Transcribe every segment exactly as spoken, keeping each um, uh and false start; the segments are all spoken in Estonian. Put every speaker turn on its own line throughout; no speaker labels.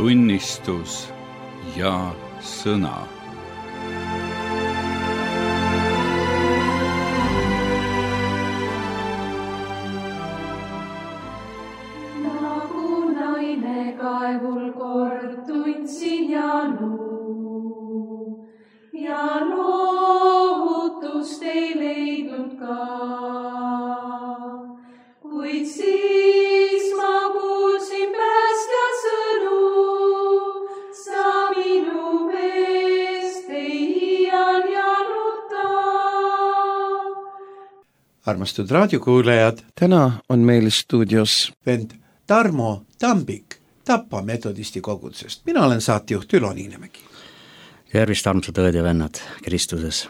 tunnistus ja sõna.
Nagu naine kaevul kord tundsin ja luu ja lohutust ei leidnud ka, kuid siis ma kuulsin päästja sõnu, sa minu meest ei iial januta.
Armastud raadiokuulajad,
täna on meil stuudios
vend Tarmo Tambik Tapa metodisti kogudusest. Mina olen saatejuht Ülo Niinemägi.
Tervist, armsad õed ja vennad Kristuses.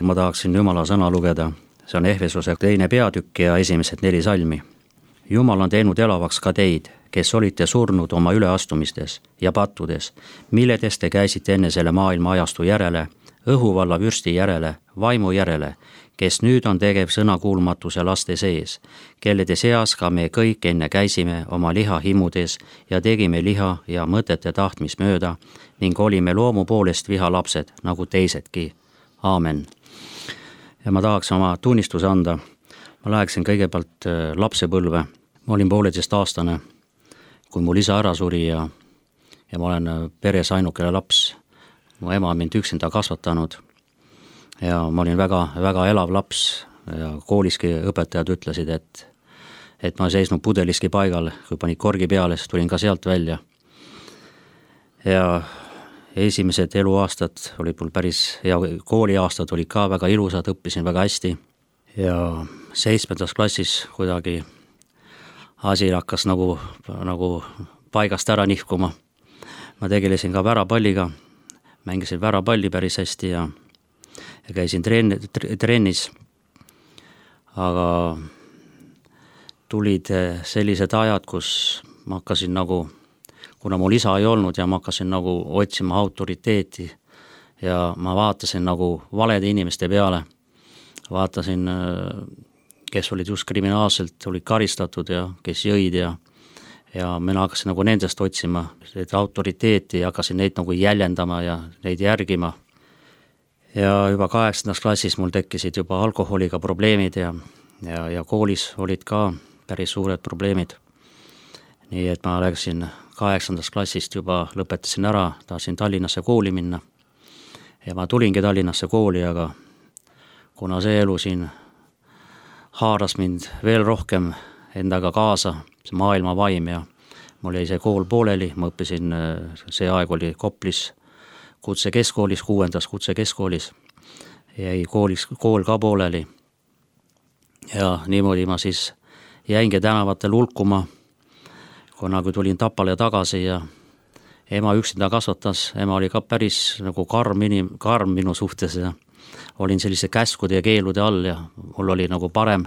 Ma tahaksin Jumala sõna lugeda. See on Ehvesuse teine peatükk ja esimesed neli salmi. Jumal on teinud elavaks ka teid, kes olite surnud oma üleastumistes ja pattudes, milledes te käisite enne selle maailma ajastu järele, õhuvalla vürsti järele, vaimu järele, kes nüüd on tegev sõnakuulmatuse laste sees, kellede seas ka me kõik enne käisime oma liha himudes ja tegime liha ja mõtete tahtmis mööda ning olime loomu poolest viha lapsed, nagu teisedki. Aamen. Ja ma tahaks oma tunnistuse anda. Ma läheksin kõigepealt lapsepõlve. Ma olin pooleteist aastane, kui mul isa ära suri ja, ja ma olen peres ainukene laps. Mu ema on mind üksinda kasvatanud ja ma olin väga, väga elav laps ja kooliski õpetajad ütlesid, et, et ma seisnud pudeliski paigal, kui panid korgi peale, siis tulin ka sealt välja. Ja esimesed eluaastad olid mul päris, ja kooliaastad olid ka väga ilusad, õppisin väga hästi ja seitsmendas klassis kuidagi asi hakkas nagu, nagu paigast ära nihkuma. Ma tegelesin ka värapalliga, mängisin värapalli päris hästi ja, ja käisin treen, trennis, aga tulid sellised ajad, kus ma hakkasin nagu, kuna mul isa ei olnud ja ma hakkasin nagu otsima autoriteeti ja ma vaatasin nagu valede inimeste peale, vaatasin, kes olid just kriminaalselt, olid karistatud ja kes jõid ja ja mina hakkasin nagu nendest otsima et autoriteeti ja hakkasin neid nagu jäljendama ja neid järgima. Ja juba kaheksandas klassis mul tekkisid juba alkoholiga probleemid ja, ja, ja koolis olid ka päris suured probleemid. Nii et ma läksin kaheksandast klassist juba lõpetasin ära, tahtsin Tallinnasse kooli minna. Ja ma tulingi Tallinnasse kooli, aga kuna see elu siin haaras mind veel rohkem endaga kaasa, see maailma vaim ja mul jäi see kool pooleli, ma õppisin, see aeg oli Koplis kutsekeskkoolis, kuuendas kutsekeskkoolis, jäi koolis, kool ka pooleli ja niimoodi ma siis jäingi tänavatel hulkuma, kuna kui tulin Tapale tagasi ja ema üksinda kasvatas, ema oli ka päris nagu karm, inim, karm minu suhtes ja olin sellise käskude ja keelude all ja mul oli nagu parem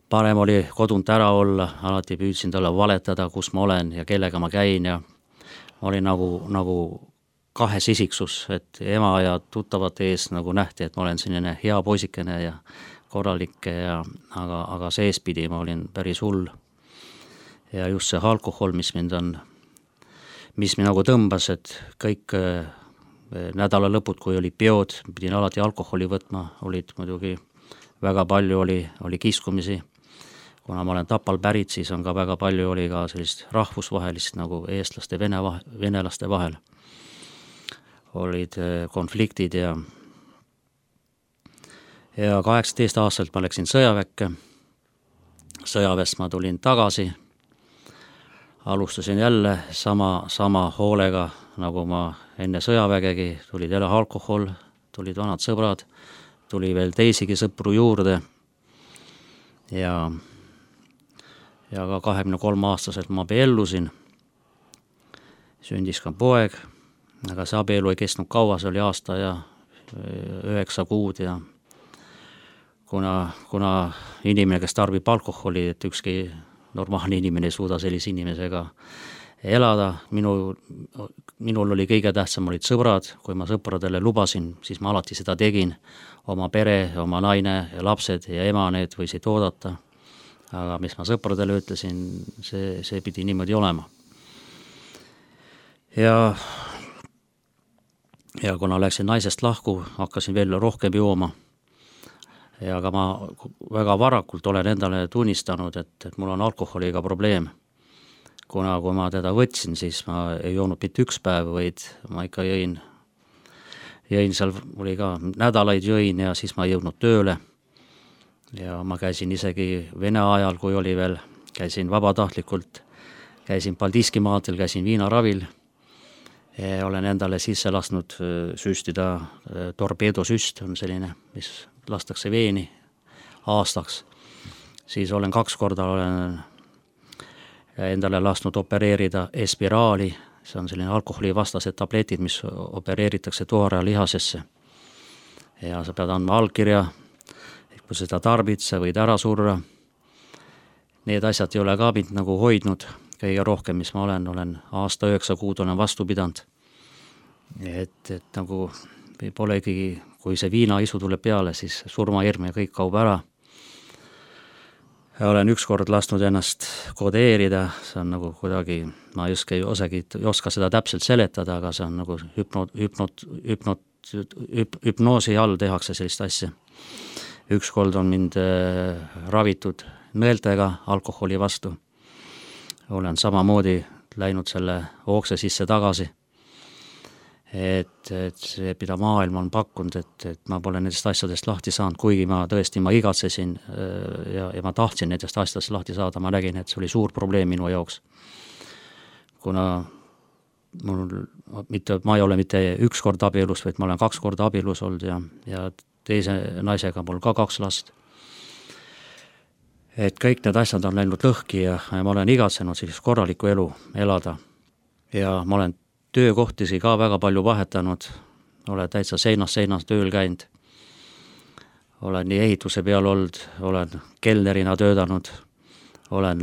Parem oli kodunt ära olla, alati püüdsin talle valetada, kus ma olen ja kellega ma käin ja oli nagu, nagu kahes isiksus, et ema ja tuttavate ees nagu nähti, et ma olen selline hea poisikene ja korralik, ja, aga, aga seespidi ma olin päris hull. Ja just see alkohol, mis mind on, mis mind nagu tõmbas, et kõik nädala lõpud, kui oli peod, pidin alati alkoholi võtma, olid muidugi väga palju oli, oli kiskumisi. Kuna ma olen Tapal pärit, siis on ka väga palju oli ka sellist rahvusvahelist nagu eestlaste ja vene, venelaste vahel. Olid konfliktid ja ja kaheksateist aastalt ma läksin sõjaväkke. Sõjaväest ma tulin tagasi. Alustasin jälle sama, sama hoolega, nagu ma enne sõjavägegi, tulid jälle alkohol, tulid vanad sõbrad, tuli veel teisigi sõpru juurde ja ja ka kahekümne kolme aastaselt ma abiellusin. Sündis ka poeg, aga see abielu ei kestnud kaua, see oli aasta ja üheksa kuud ja kuna, kuna inimene, kes tarbib alkoholi, et ükski normaalne inimene ei suuda sellise inimesega elada, minu, minul oli kõige tähtsam olid sõbrad, kui ma sõpradele lubasin, siis ma alati seda tegin, oma pere, oma naine ja lapsed ja ema need võisid oodata. Aga mis ma sõpradele ütlesin, see, see pidi niimoodi olema. ja ja kuna läksin naisest lahku, hakkasin veel rohkem jooma. Ja aga ma väga varakult olen endale tunnistanud, et, et mul on alkoholiga probleem. Kuna kui ma teda võtsin, siis ma ei joonud mitte üks päev, vaid ma ikka jõin, jõin seal, oli ka nädalaid jõin ja siis ma ei jõudnud tööle. Ja ma käisin isegi Vene ajal, kui oli veel, käisin vabatahtlikult, käisin Paldiski maadel, käisin viinaravil. Ja olen endale sisse lasknud süstida torpeedosüst, on selline, mis lastakse veeni aastaks. Siis olen kaks korda olen endale lasknud opereerida espiraali, see on selline alkoholivastased tabletid, mis opereeritakse tuare lihasesse. Ja sa pead andma allkirja, et kui seda tarbid, sa võid ära surra. Need asjad ei ole ka mind nagu hoidnud, kõige rohkem, mis ma olen, olen aasta üheksa kuud olen vastu pidanud. Et, et nagu polegi, kui see viinaisu tuleb peale, siis surmahirm ja kõik kaub ära. Ja olen ükskord lasknud ennast kodeerida, see on nagu kuidagi, ma just ei osagi, ei oska seda täpselt seletada, aga see on nagu hüpnot, hüpnot, hüpnot, hüp, hüpnoosi all tehakse sellist asja. Ükskord on mind äh, ravitud nõeltega alkoholi vastu. Olen samamoodi läinud selle ookse sisse tagasi. Et, et see, mida maailm on pakkunud, et, et ma pole nendest asjadest lahti saanud, kuigi ma tõesti, ma igatsesin ja, ja ma tahtsin nendest asjadest lahti saada, ma nägin, et see oli suur probleem minu jaoks. Kuna mul, mitte, ma ei ole mitte üks kord abielus, vaid ma olen kaks korda abielus olnud ja, ja teise naisega mul ka kaks last. Et kõik need asjad on läinud lõhki ja, ja ma olen igatsenud sellist korralikku elu elada. Ja ma olen töökohtisi ka väga palju vahetanud, olen täitsa seinas seinas tööl käinud, olen nii ehituse peal olnud, olen kelnerina töödanud, olen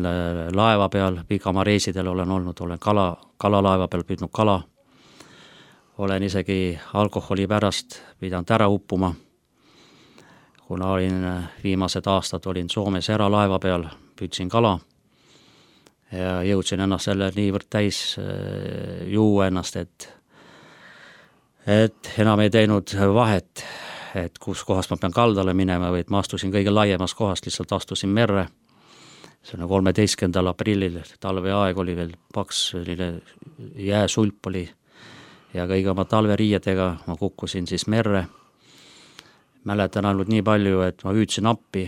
laeva peal, pikamaa reisidel olen olnud, olen kala, kalalaeva peal püüdnud kala, olen isegi alkoholi pärast pidanud ära uppuma, kuna olin viimased aastad olin Soomes eralaeva peal, püüdsin kala, ja jõudsin ennast selle niivõrd täis juua ennast, et, et enam ei teinud vahet, et kus kohast ma pean kaldale minema, või et ma astusin kõige laiemas kohast, lihtsalt astusin merre. See on kolmeteistkümnendal aprillil, talveaeg oli veel paks, jääsulp oli ja kõige oma talveriiedega ma kukkusin siis merre. Mäletan ainult nii palju, et ma hüüdsin appi,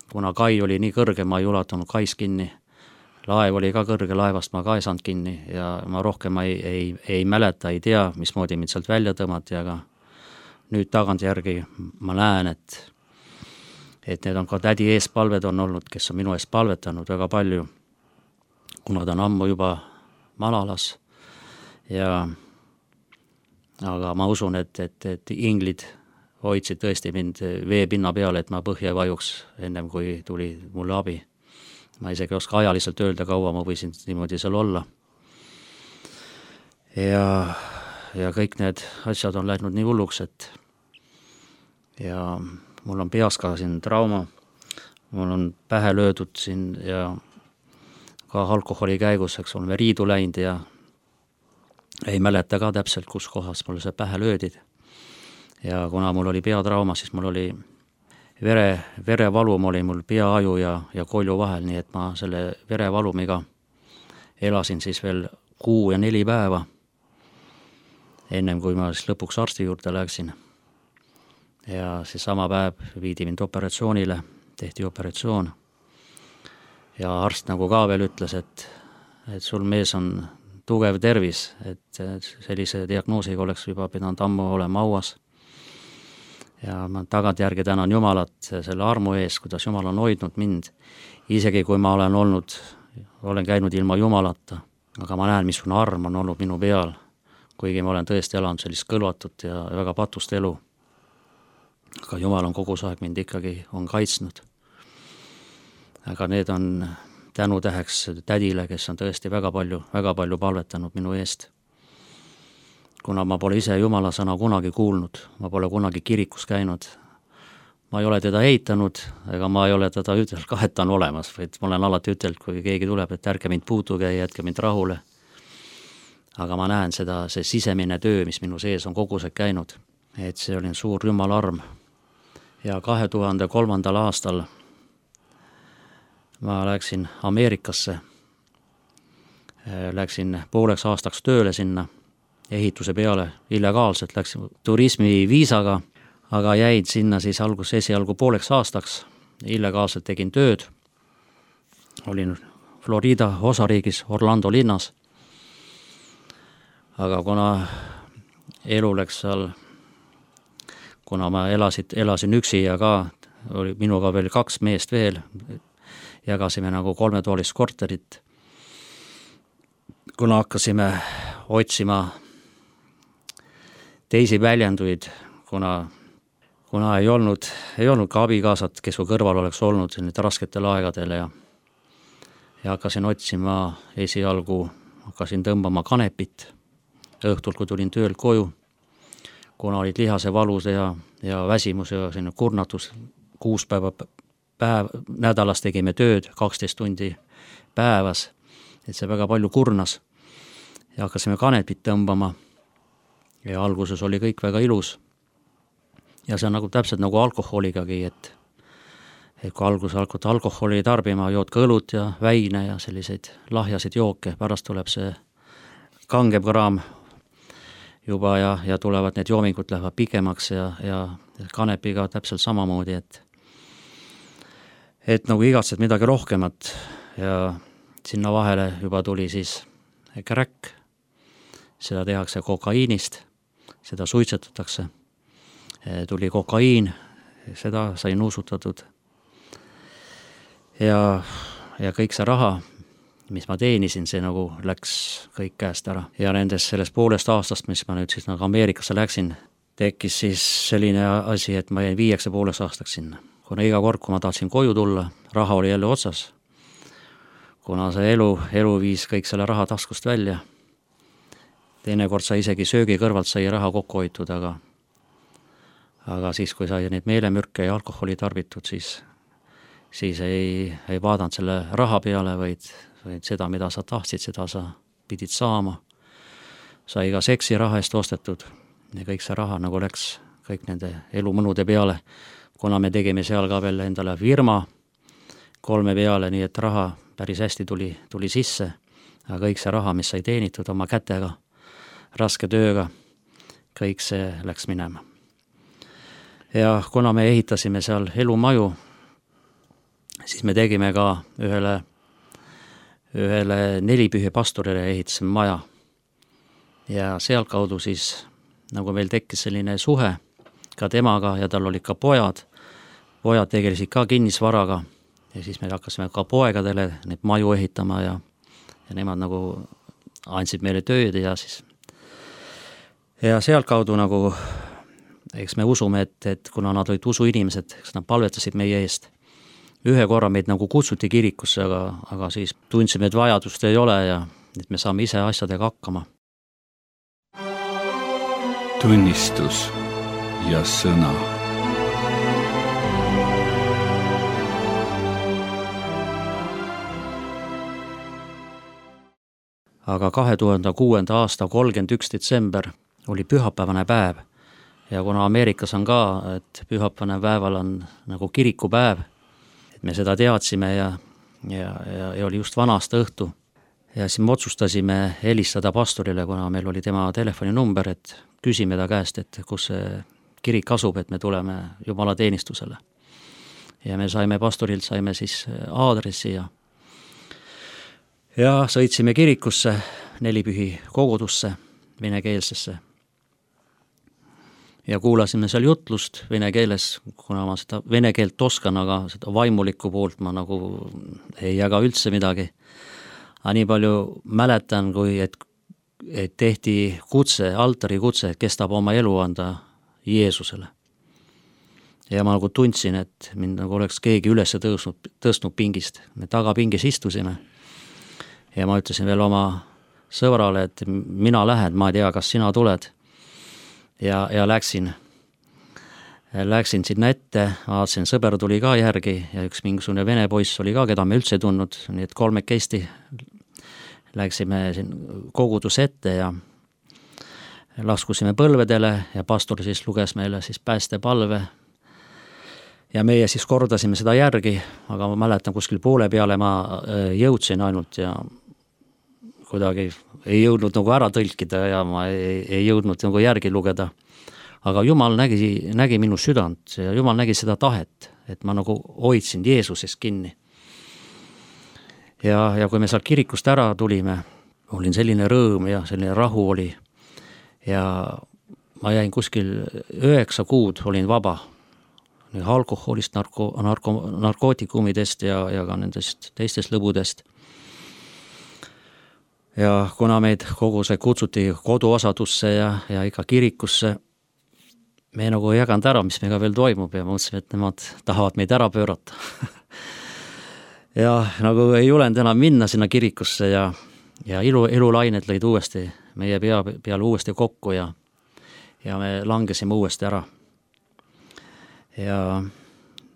kuna kai oli nii kõrge, ma ei ulatanud kais kinni. Laev oli ka kõrge, laevast ma ka ei saanud kinni ja ma rohkem ei, ei, ei mäleta, ei tea, mismoodi mind sealt välja tõmmati, aga nüüd tagantjärgi ma näen, et, et need on ka tädi eespalved on olnud, kes on minu eest palvetanud väga palju, kuna ta on ammu juba malalas. Ja, aga ma usun, et, et, et inglid hoidsid tõesti mind veepinna peale, et ma põhja ei vajuks ennem, kui tuli mulle abi. Ma isegi oska ajaliselt öelda, kaua ma võisin niimoodi seal olla. Ja, ja kõik need asjad on läinud nii hulluks, et ja mul on peas ka siin trauma, mul on pähe löödud siin ja ka alkoholi käigus, eks oleme riidu läinud ja ei mäleta ka täpselt, kus kohas mul see pähe löödid. Ja kuna mul oli peatrauma, siis mul oli Vere, verevalum oli mul peaaju ja, ja kolju vahel, nii et ma selle verevalumiga elasin siis veel kuu ja neli päeva, ennem kui ma siis lõpuks arsti juurde läksin. Ja siis sama päev viidi mind operatsioonile, tehti operatsioon. Ja arst nagu ka veel ütles, et, et sul mees on tugev tervis, et sellise diagnoosiga oleks juba pidanud ammu olema hauas. Ja ma tagantjärgi tänan Jumalat selle armu ees, kuidas Jumal on hoidnud mind, isegi kui ma olen olnud, olen käinud ilma Jumalata, aga ma näen, missugune arm on olnud minu peal, kuigi ma olen tõesti elanud sellist kõlvatut ja väga patust elu. Aga Jumal on kogu aeg mind ikkagi on kaitsnud. Aga need on tänutäheks tädile, kes on tõesti väga palju, väga palju palvetanud minu eest. Kuna ma pole ise Jumala sõna kunagi kuulnud, ma pole kunagi kirikus käinud, ma ei ole teda eitanud, ega ma ei ole teda ütelnud ka, et ta on olemas, vaid ma olen alati ütelnud, kui keegi tuleb, et ärge mind puutuge ja jätke mind rahule. aga ma näen seda, see sisemine töö, mis minu sees on kogu see käinud, et see oli suur Jumala arm. Ja kahe tuhande kolmandal aastal ma läksin Ameerikasse, läksin pooleks aastaks tööle sinna, ehituse peale, illegaalselt läksin turismiviisaga, aga jäid sinna siis algus esialgu pooleks aastaks, illegaalselt tegin tööd, olin Florida osariigis Orlando linnas, aga kuna elu läks seal, kuna ma elasid, elasin üksi ja ka oli minuga veel kaks meest veel, jagasime nagu kolmetoalist korterit, kuna hakkasime otsima teisi väljenduid, kuna, kuna ei olnud, ei olnud ka abikaasat, kes su kõrval oleks olnud nüüd rasketel aegadel ja, ja hakkasin otsima esialgu, hakkasin tõmbama kanepit õhtul, kui tulin töölt koju, kuna olid lihase valud ja, ja väsimus ja selline kurnatus, kuus päeva päev, nädalas tegime tööd, kaksteist tundi päevas, et see väga palju kurnas ja hakkasime kanepit tõmbama ja alguses oli kõik väga ilus ja see on nagu täpselt nagu alkoholigagi, et, et kui alguses hakkad alkoholi tarbima, jood ka õlut ja väine ja selliseid lahjasid jooke, pärast tuleb see kangem kraam juba ja, ja tulevad need joomingud lähevad pikemaks ja, ja kanepiga täpselt samamoodi, et et nagu igatsed midagi rohkemat ja sinna vahele juba tuli siis crack, seda tehakse kokaiinist, seda suitsetatakse, tuli kokaiin, seda sai nuusutatud ja, ja kõik see raha, mis ma teenisin, see nagu läks kõik käest ära ja nendes sellest poolest aastast, mis ma nüüd siis nagu Ameerikasse läksin, tekkis siis selline asi, et ma jäin viieks ja pooleks aastaks sinna. Kuna iga kord, kui ma tahtsin koju tulla, raha oli jälle otsas, kuna see elu, elu viis kõik selle raha taskust välja. Teine kord sai isegi söögi kõrvalt sai raha kokku hoitud, aga, aga siis, kui sai neid meelemürke ja alkoholi tarbitud, siis, siis ei, ei vaadanud selle raha peale, vaid, vaid seda, mida sa tahtsid, seda sa pidid saama. Sai ka seksi raha eest ostetud ja kõik see raha nagu läks kõik nende elumõnude peale, kuna me tegime seal ka veel endale firma kolme peale, nii et raha päris hästi tuli, tuli sisse, aga kõik see raha, mis sai teenitud oma kätega, raske tööga, kõik see läks minema. Ja kuna me ehitasime seal elumaju, siis me tegime ka ühele, ühele nelipühi pastorile ehitasime maja ja sealt kaudu siis nagu meil tekkis selline suhe ka temaga ja tal olid ka pojad, pojad tegelesid ka kinnisvaraga ja siis me hakkasime ka poegadele neid maju ehitama ja, ja nemad nagu andsid meile tööd ja siis ja sealt kaudu nagu, eks me usume, et, et kuna nad olid usuinimesed, eks nad palvetasid meie eest. Ühe korra meid nagu kutsuti kirikusse, aga, aga siis tundsime, et vajadust ei ole ja et me saame ise asjadega hakkama.
Tunnistus ja sõna.
Aga kahe tuhande kuuenda aasta kolmkümmend üks detsember oli pühapäevane päev ja kuna Ameerikas on ka, et pühapäevane päeval on nagu kirikupäev, et me seda teadsime ja, ja, ja, ja oli just vanaasta õhtu ja siis me otsustasime helistada pastorile, kuna meil oli tema telefoninumber, et küsime ta käest, et kus see kirik asub, et me tuleme Jumala teenistusele. Ja me saime pastorilt, saime siis aadressi ja ja sõitsime kirikusse, nelipühi kogudusse, venekeelsesse. Ja kuulasime seal jutlust vene keeles, kuna ma seda vene keelt oskan, aga seda vaimulikku poolt ma nagu ei jaga üldse midagi. Aga nii palju mäletan, kui et, et tehti kutse, altari kutse, et kes tahab oma elu anda Jeesusele. Ja ma nagu tundsin, et mind nagu oleks keegi üles tõusnud, tõstnud pingist. Me tagapingis istusime. Ja ma ütlesin veel oma sõbrale, et mina lähen, ma ei tea, kas sina tuled. Ja, ja läksin, läksin sinna ette, vaatasin, sõber tuli ka järgi ja üks mingisugune vene poiss oli ka, keda me üldse tunnud, nii et kolmekesti läksime siin kogudus ette ja laskusime põlvedele ja pastor siis luges meile siis päästepalve ja meie siis kordasime seda järgi, aga ma mäletan kuskil poole peale ma jõudsin ainult ja kuidagi ei jõudnud nagu ära tõlkida ja ma ei, ei jõudnud nagu järgi lugeda. Aga Jumal nägi, nägi minu südant ja Jumal nägi seda tahet, et ma nagu hoidsin Jeesusest kinni. Ja, ja kui me sealt kirikust ära tulime, olin selline rõõm ja selline rahu oli ja ma jäin kuskil üheksa kuud, olin vaba alkoholist, narko, narko, narkootikumidest ja, ja ka nendest teistest lõbudest. Ja kuna meid kogu see kutsuti koduosadusse ja, ja ikka kirikusse, me nagu ei jaganud ära, mis meiega veel toimub ja mõtlesime, et nemad tahavad meid ära pöörata. ja nagu ei julenud enam minna sinna kirikusse ja, ja elu, elulained lõid uuesti meie pea peale uuesti kokku ja, ja me langesime uuesti ära. Ja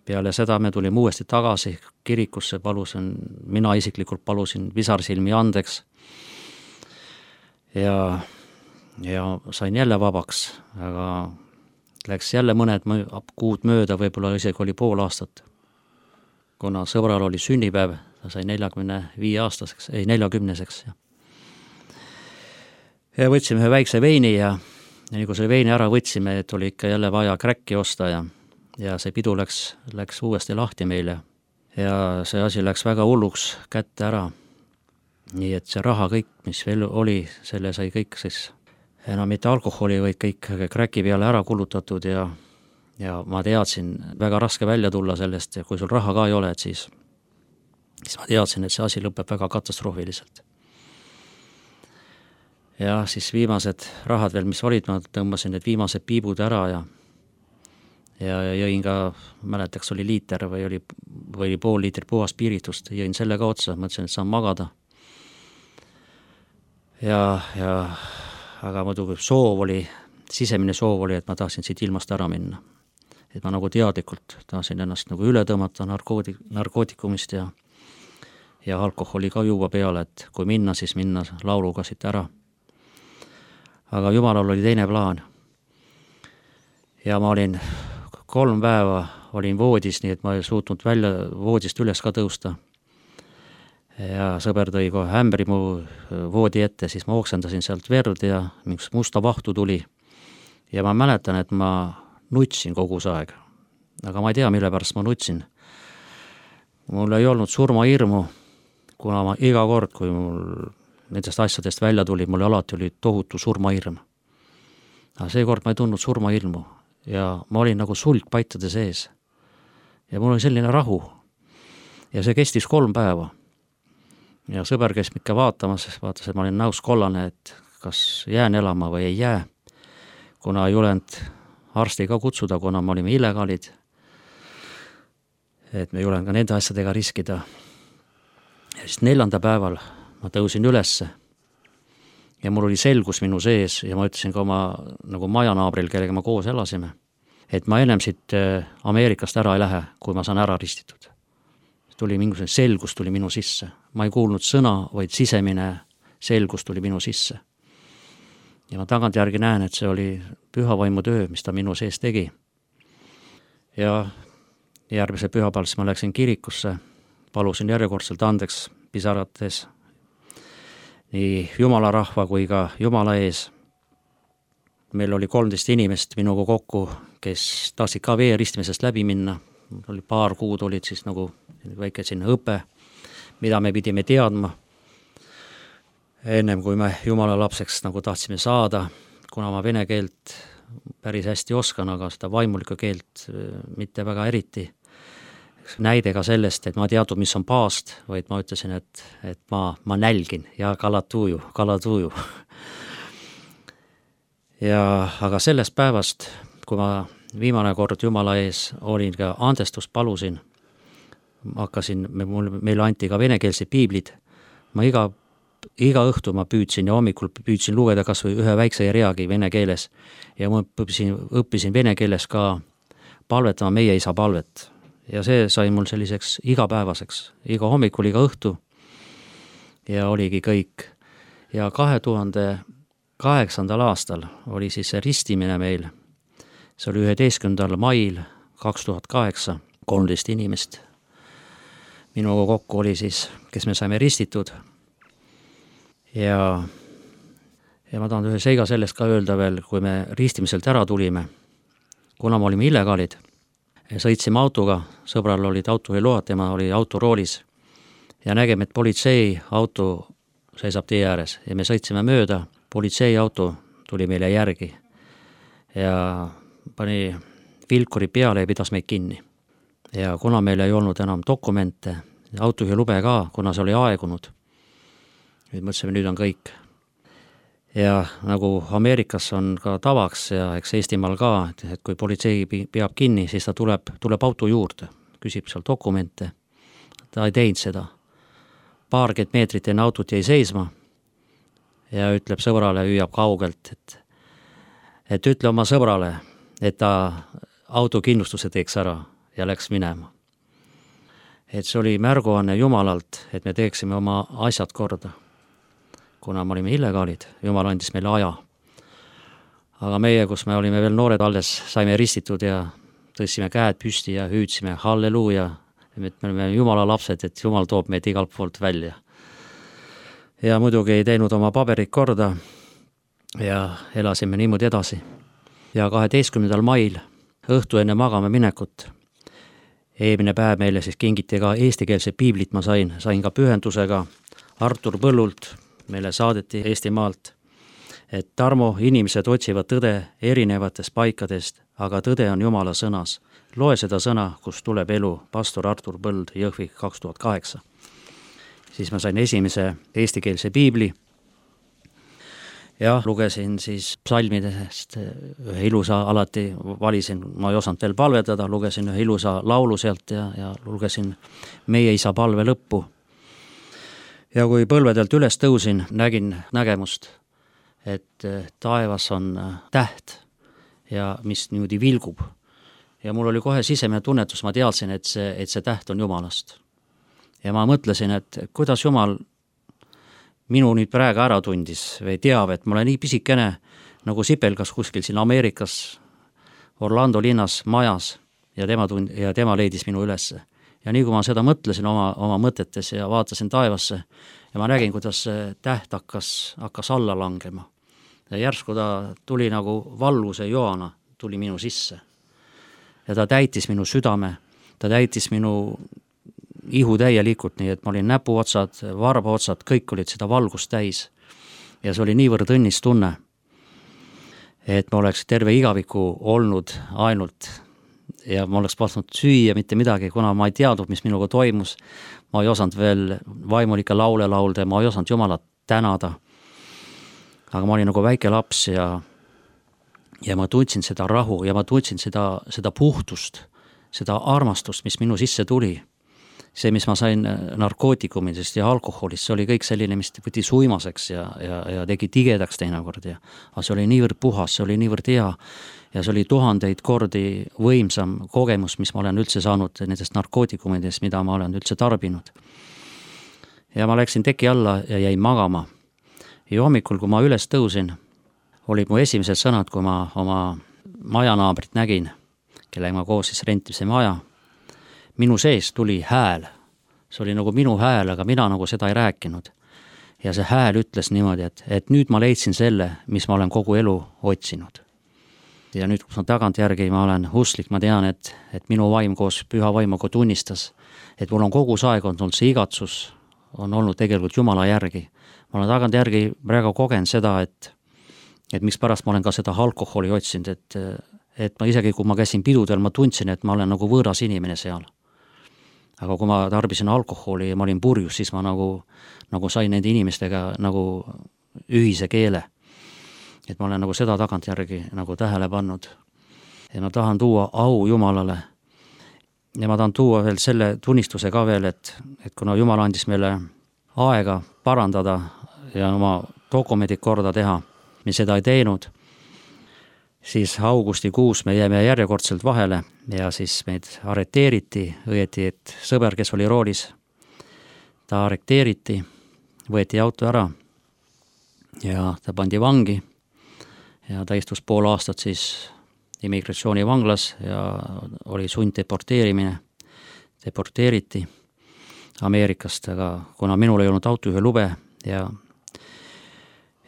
peale seda me tulime uuesti tagasi kirikusse, palusin, mina isiklikult palusin pisarsilmi andeks ja, ja sain jälle vabaks, aga läks jälle mõned kuud mööda, võib-olla isegi oli pool aastat. Kuna sõbral oli sünnipäev, ta sai neljakümne viie aastaseks, ei neljakümneseks. Ja, ja võtsime ühe väikse veini ja, ja nii kui selle veini ära võtsime, et oli ikka jälle vaja kräkki osta ja, ja see pidu läks, läks uuesti lahti meile. Ja see asi läks väga hulluks kätte ära. Nii et see raha kõik, mis veel oli, selle sai kõik siis enam mitte alkoholi, vaid kõik kräki peale ära kulutatud ja, ja ma teadsin väga raske välja tulla sellest ja kui sul raha ka ei ole, et siis, siis ma teadsin, et see asi lõpeb väga katastroofiliselt. Ja siis viimased rahad veel, mis olid, ma tõmbasin need viimased piibud ära ja, ja jõin ka, mäletaks oli liiter või oli, või oli pool liitrit puhas piiritust, jõin selle ka otsa, mõtlesin, et saan magada. Ja, ja aga muidugi soov oli, sisemine soov oli, et ma tahtsin siit ilmast ära minna. Et ma nagu teadlikult tahtsin ennast nagu üle tõmmata narkooti, narkootikumist ja, ja alkoholi ka juua peale, et kui minna, siis minna lauluga siit ära. Aga Jumalal oli teine plaan. Ja ma olin kolm päeva, olin voodis, nii et ma ei suutnud välja voodist üles ka tõusta. Ja sõber tõi kohe ämbri mu voodi ette, siis ma oksendasin sealt verd ja mingi musta vahtu tuli. Ja ma mäletan, et ma nutsin kogu see aeg. Aga ma ei tea, mille pärast ma nutsin. Mul ei olnud surmahirmu, kuna ma iga kord, kui mul nendest asjadest välja tuli, mul alati oli tohutu surmahirm. Aga seekord ma ei tundnud surmahirmu ja ma olin nagu sulgpaitade sees. Ja mul oli selline rahu. Ja see kestis kolm päeva. Ja sõber käis ikka vaatamas, vaatas, et ma olin näus kollane, et kas jään elama või ei jää, kuna ei julenud arsti ka kutsuda, kuna me olime illegaalid, et me ei julenud ka nende asjadega riskida. Ja siis neljanda päeval ma tõusin ülesse ja mul oli selgus minu sees ja ma ütlesin ka oma nagu majanaabril, kellega ma koos elasime, et ma ennem siit Ameerikast ära ei lähe, kui ma saan ära ristitud. Tuli mingisugune selgus tuli minu sisse. Ma ei kuulnud sõna, vaid sisemine selgus tuli minu sisse. Ja ma tagant järgi näen, et see oli pühavaimu töö, mis ta minu sees tegi. Ja järgmise pühapäeval siis ma läksin kirikusse, palusin järjekordselt andeks pisarates nii Jumala rahva kui ka Jumala ees. Meil oli kolmteist inimest minuga kokku, kes tahtsid ka veeristimesest läbi minna. Oli paar kuud olid siis nagu väike sinna õpe, mida me pidime teadma. Ennem kui me Jumala lapseks nagu tahtsime saada, kuna ma vene keelt päris hästi oskan, aga seda vaimulikku keelt mitte väga eriti. Näide ka sellest, et ma teadnud, mis on paast, vaid ma ütlesin, et, et ma, ma nälgin ja kalatuju, kalatuju. ja, aga sellest päevast, kui ma viimane kord Jumala ees olin ka andestust palusin, hakkasin, mul, meile anti ka venekeelsed piiblid, ma iga, iga õhtu ma püüdsin ja hommikul püüdsin lugeda kas või ühe väikse reagi vene keeles ja ma õppisin, õppisin vene keeles ka palvetama meie isa palvet ja see sai mul selliseks igapäevaseks, iga hommikul, iga õhtu ja oligi kõik. Ja kahe tuhande kaheksandal aastal oli siis see ristimine meil, see oli üheteistkümnendal mail kaks tuhat kaheksa, kolmteist inimest. Minuga kokku oli siis, kes me saime ristitud. Ja, ja ma tahan ühe seiga sellest ka öelda veel, kui me ristimiselt ära tulime, kuna me olime illegaalid, sõitsime autoga, sõbral olid autojuhiload, tema oli autoroolis ja nägime, et politsei auto seisab tee ääres ja me sõitsime mööda, politsei auto tuli meile järgi ja pani vilkuri peale ja pidas meid kinni. Ja kuna meil ei olnud enam dokumente, autojuhilube ka, kuna see oli aegunud, nüüd mõtlesime, nüüd on kõik. Ja nagu Ameerikas on ka tavaks ja eks Eestimaal ka, et, et kui politsei peab kinni, siis ta tuleb, tuleb auto juurde, küsib seal dokumente. Ta ei teinud seda. Paarkümmend meetrit enne autot jäi seisma ja ütleb sõbrale, hüüab kaugelt, et, et ütle oma sõbrale, et ta autokindlustuse teeks ära ja läks minema. Et see oli märguanne Jumalalt, et me teeksime oma asjad korda. Kuna me olime illegaalid, Jumal andis meile aja. Aga meie, kus me olime veel noored alles, saime ristitud ja tõstsime käed püsti ja hüüdsime halleluuja. Me olime Jumala lapsed, et Jumal toob meid igalt poolt välja. Ja muidugi ei teinud oma paberid korda ja elasime niimoodi edasi. Ja kaheteistkümnendal mail õhtu enne magama minekut eelmine päev meile siis kingiti ka eestikeelse piiblit, ma sain, sain ka pühendusega Artur Põllult, meile saadeti Eestimaalt, et Tarmo, inimesed otsivad tõde erinevatest paikadest, aga tõde on Jumala sõnas. Loe seda sõna, kus tuleb elu, pastor Artur Põld, Jõhvi kaks tuhat kaheksa. Siis ma sain esimese eestikeelse piibli ja lugesin siis psalmidest ühe ilusa, alati valisin, ma ei osanud veel palvetada, lugesin ühe ilusa laulu sealt ja, ja lugesin Meie isa palve lõppu. Ja kui põlvedelt üles tõusin, nägin nägemust, et taevas on täht ja mis niimoodi vilgub. Ja mul oli kohe sisemine tunnetus, ma teadsin, et see, et see täht on Jumalast. Ja ma mõtlesin, et kuidas Jumal minu nüüd praegu ära tundis või teab, et ma olen nii pisikene nagu sipelgas kuskil siin Ameerikas, Orlando linnas majas ja tema, tund, ja tema leidis minu ülesse. Ja nii kui ma seda mõtlesin oma, oma mõtetes ja vaatasin taevasse ja ma nägin, kuidas see täht hakkas, hakkas alla langema. Ja järsku ta tuli nagu valluse joana, tuli minu sisse. Ja ta täitis minu südame, ta täitis minu ihu täielikult, nii et ma olin näpuotsad, varbaotsad, kõik olid seda valgust täis. Ja see oli niivõrd õnnis tunne, et ma oleks terve igaviku olnud ainult ja ma oleks pasnud süüa mitte midagi, kuna ma ei teadnud, mis minuga toimus. Ma ei osanud veel vaimulike laule laulda, ma ei osanud Jumalat tänada. Aga ma olin nagu väike laps ja, ja ma tundsin seda rahu ja ma tundsin seda, seda puhtust, seda armastust, mis minu sisse tuli. See, mis ma sain narkootikumidest ja alkoholist, see oli kõik selline, mis võtti suimaseks ja, ja, ja tegi tigedaks teinekord. Ja, aga see oli niivõrd puhas, see oli niivõrd hea ja see oli tuhandeid kordi võimsam kogemus, mis ma olen üldse saanud nendest narkootikumidest, mida ma olen üldse tarbinud. Ja ma läksin teki alla ja jäin magama. Ja hommikul, kui ma üles tõusin, olid mu esimesed sõnad, kui ma oma majanaabrit nägin, kellega ma koos siis rentisime maja. Minu sees tuli hääl, see oli nagu minu hääl, aga mina nagu seda ei rääkinud. Ja see hääl ütles niimoodi, et, et nüüd ma leidsin selle, mis ma olen kogu elu otsinud. Ja nüüd, kus ma tagant järgi, ma olen uslik, ma tean, et, et minu vaim koos püha vaimuga tunnistas, et mul on kogu see aeg olnud see igatsus, on olnud tegelikult Jumala järgi. Ma olen tagant järgi praegu kogenud seda, et, et miks pärast ma olen ka seda alkoholi otsinud, et, et ma isegi, kui ma käisin pidudel, ma tundsin, et ma olen nagu võõras inimene seal. Aga kui ma tarbisin alkoholi ja ma olin purjus, siis ma nagu, nagu sain nende inimestega nagu ühise keele. Et ma olen nagu seda tagant järgi nagu tähele pannud. Ja ma tahan tuua au Jumalale. Ja ma tahan tuua veel selle tunnistuse ka veel, et, et kuna Jumal andis meile aega parandada ja oma dokumendid korda teha, me seda ei teinud, siis augustikuus me jäime järjekordselt vahele ja siis meid arreteeriti, õieti, et sõber, kes oli roolis, ta arreteeriti, võeti auto ära ja ta pandi vangi ja ta istus pool aastat siis immigratsioonivanglas ja oli sunddeporteerimine, deporteeriti Ameerikast, aga kuna minul ei olnud autojuhi lube ja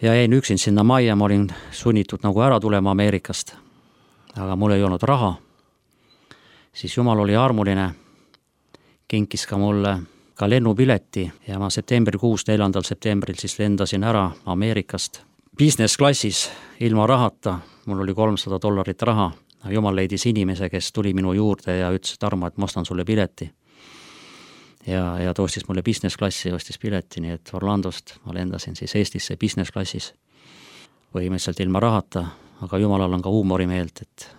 ja jäin üksin sinna majja, ma olin sunnitud nagu ära tulema Ameerikast, aga mul ei olnud raha, siis Jumal oli armuline, kinkis ka mulle ka lennupileti ja ma septembrikuus, neljandal septembril siis lendasin ära Ameerikast business klassis ilma rahata, mul oli kolmsada dollarit raha, Jumal leidis inimese, kes tuli minu juurde ja ütles, et Tarmo, et ma ostan sulle pileti. Ja, ja ta ostis mulle business klassi ja ostis pileti, nii et Orlandost ma lendasin siis Eestisse business klassis põhimõtteliselt ilma rahata, aga Jumalal on ka huumorimeelt, et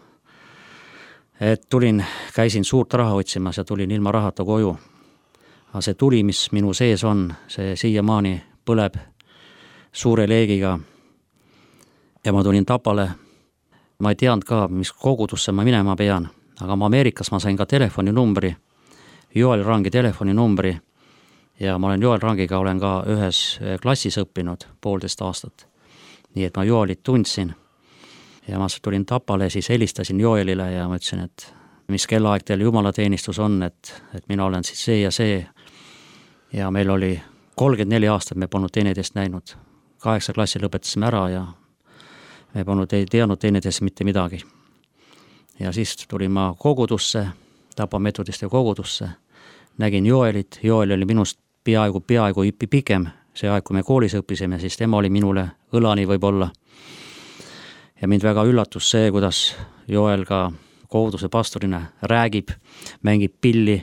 et tulin, käisin suurt raha otsimas ja tulin ilma rahata koju. Aga see tuli, mis minu sees on, see siiamaani põleb suure leegiga ja ma tulin Tapale. Ma ei teadnud ka, mis kogudusse ma minema pean, aga ma Ameerikas ma sain ka telefoninumbri, Joel Rangi telefoninumbri ja ma olen Joel Rangiga olen ka ühes klassis õppinud poolteist aastat. Nii et ma Joelit tundsin ja ma tulin Tapale, siis helistasin Joelile ja ma ütlesin, et mis kellaaeg teil jumalateenistus on, et, et mina olen siis see ja see ja meil oli kolmkümmend neli aastat, me polnud teineteist näinud. Kaheksa klassi lõpetasime ära ja me polnud ei teadnud teineteist mitte midagi. Ja siis tulin ma kogudusse, Tapa metodiste kogudusse, nägin Joelit, Joel oli minust peaaegu, peaaegu ipi pikem, see aeg, kui me koolis õppisime, siis tema oli minule õlani võib-olla. Ja mind väga üllatus see, kuidas Joel ka koguduse pastorina räägib, mängib pilli.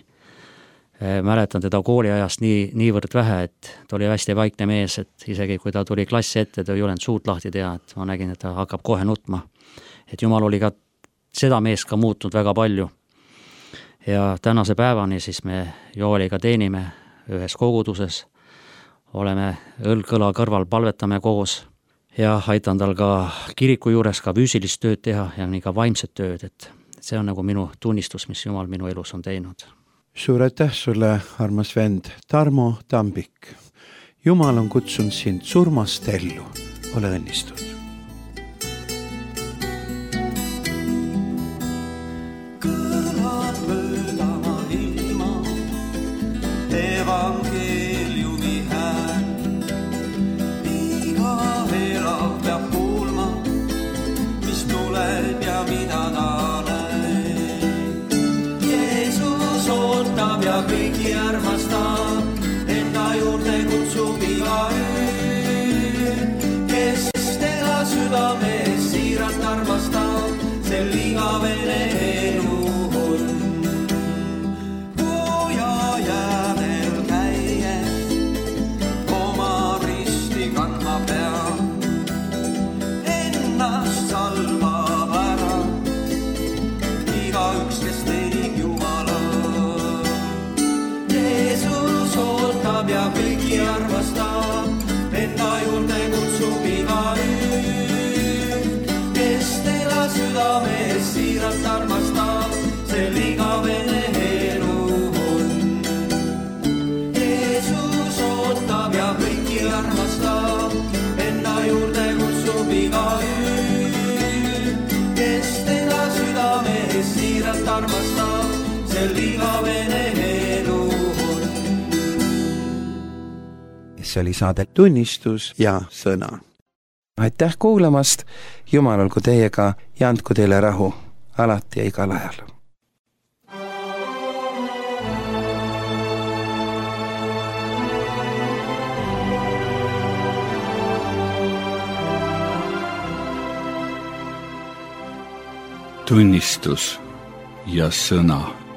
Mäletan teda kooliajast nii, niivõrd vähe, et ta oli hästi vaikne mees, et isegi kui ta tuli klassi ette, ta ei olnud suut lahti teha, et ma nägin, et ta hakkab kohe nutma. Et Jumal oli ka seda meest ka muutnud väga palju. Ja tänase päevani siis me Joeliga teenime ühes koguduses, oleme õlg-kõla kõrval, palvetame koos ja aitan tal ka kiriku juures ka füüsilist tööd teha ja nii ka vaimset tööd, et see on nagu minu tunnistus, mis Jumal minu elus on teinud.
Suur aitäh sulle, armas vend Tarmo Tambik. Jumal on kutsunud sind surmast ellu. Ole õnnistud.
Kõlad möödama ilma, evangeeliumi hääl. Iga elav peab kuulma, mis tuleb ja mida ta ootab ja kõiki armastab, enda juurde kutsub iga öö, kes teda südames siiralt armastab, sel igavene elu on. Puja jäävel käie, oma risti kandma peab, ennast salvab ära, iga üks, kes teenib Jumala. Ootab ja kõiki armastab, enda juurde kutsub iga öö, kes teda südames siiralt armastab, sel igavene elu on. Jeesus ootab ja kõiki armastab, enda juurde kutsub iga öö, kes teda südames siiralt armastab, sel igavene elu on.
See oli saade Tunnistus ja sõna.
Aitäh kuulamast, Jumal olgu teiega ja andku teile rahu, alati ja igal ajal.
Tunnistus ja sõna.